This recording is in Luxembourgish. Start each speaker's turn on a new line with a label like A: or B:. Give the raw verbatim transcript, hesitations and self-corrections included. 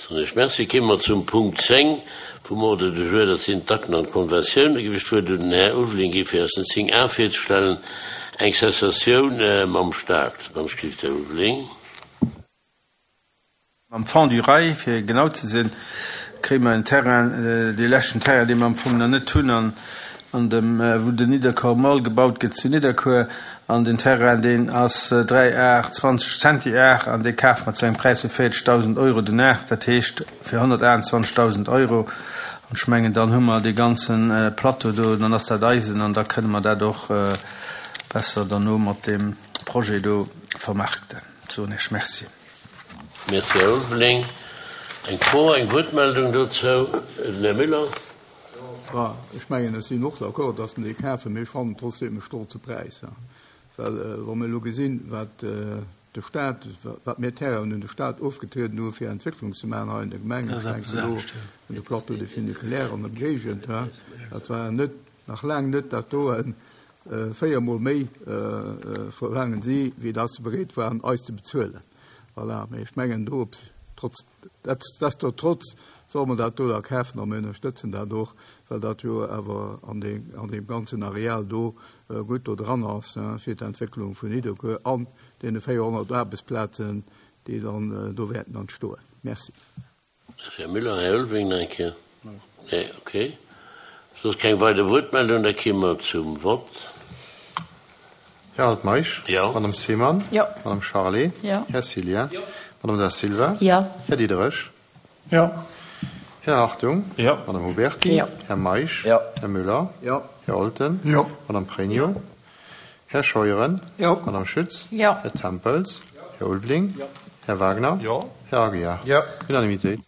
A: Soen ech Merci. Kéime mer zum Punkt zéng vum Ordre du jour, dat sinn d'Akten an d'Konventiounen. Géif ech d'Wuert un den Här Ulveling gi fir eis den zéng A virzestellen, eng Cessatioun mam Stat. Wann ech géif, Här Ulveling.
B: Mam Fonds du Rail, fir genau ze sinn, kréie mer en Terrain, dee leschten Terrain, dee mer am Fong nach net hunn, an an dem, wou den Nidderkuer Mall gebaut gëtt zu Nidderkuer. An den Terrain, deen ass dräi Ar zwanzeg Centi Ar, an dee kafe mer zu engem Präis vu véierzegdausend Euro den Ar, dat heescht fir honnertaachtundzwanzegdausend Euro. An ech mengen, dann hu mer dee ganze Plateau do, dann ass dat eisen an da kënne mer dat och besser derno mat deem Projet do vermarkten. Soen ech Merci.
A: Merci, Här Ulveling. Eng Fro, eng Wuertmeldung dozou? Den Här Müller.
C: Jo, ech mengen, ech sinn och d'accord, dass mer dee kafen, mee ech fannen trotzdem e stolze Präis. Well wa mer elo gesinn, wat de Stat, wat mir Terrainen un de Stat ofgetrieden hu fir Entwécklung ze maachen hei an der Gemeng, ech denken elo un de Plateau de Funiculaire an Ëmgéigend, dat war net, nach laang net dat doen, véier Mol méi verlaangen si, wéi dass se bereet waren eis ze bezuelen. Voilà, mee ech mengen do, trotz, nichtsdestotrotz solle mer dat do da kafen a mir ënnerstëtzen dat och, well dat jo awer an deem, an deem ganzen Areal do gutt do dran ass fir d'Entwécklung vun Nidderkuer an deene véierhonnert Aarbechtsplazen, déi dann do wäerten entstoen. Merci.
A: Här Müller, Här Ulveling nach eng Kéier? Nee, okay. Soss keng weider Wuertmeldung, da kéime mer zum Vott.
D: Här Altmeisch?
A: Jo.
D: Madame Seemann?
E: Jo.
D: Madame Charlé?
E: Jo.
D: Här Cillien?
E: Jo.
D: Madame Da Silva?
E: Jo.
D: Här Diderich?
F: Jo.
D: Här Hartung?
F: Jo.
D: Madame Huberty?
E: Jo.
D: Här Meisch?
F: Jo.
D: Här Müller?
C: Jo.
D: Här Olten?
C: Jo.
D: Madame Pregno? Här Scheuren?
E: Jo.
D: Madame Schütz?
E: Jo.
D: Här Tempels? Här Ulveling?
F: Jo.
D: Här Wagner?
F: Jo.
D: Här Aguiar?
F: Jo.
D: Unanimitéit.